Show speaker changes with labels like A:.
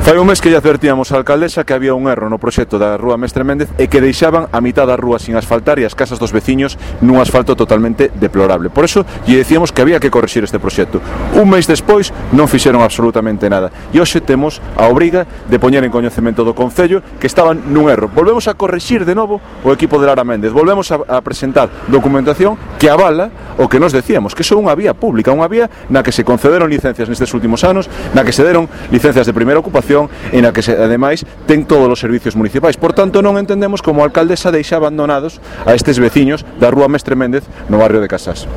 A: Fai un mes que lle advertíamos á alcaldesa que había un erro no proxecto da Rúa Mestre Méndez e que deixaban a mitad da rúa sin asfaltar e as casas dos veciños nun asfalto totalmente deplorable. Por eso lle decíamos que había que corrixir este proxecto. Un mes despois non fixeron absolutamente nada e hoxe temos a obriga de poñer en coñecemento do Concello que estaban nun erro. Volvemos a corrixir de novo o equipo de Lara Méndez, volvemos a presentar documentación que avala o que nos decíamos, que é unha vía pública, unha vía na que se concederon licencias nestes últimos anos, na que se deron licencias de primeira ocupación e na que ademais ten todos os servicios municipais. Por tanto, non entendemos como a alcaldesa deixa abandonados a estes veciños da Rúa Mestre Méndez no barrio de Casás.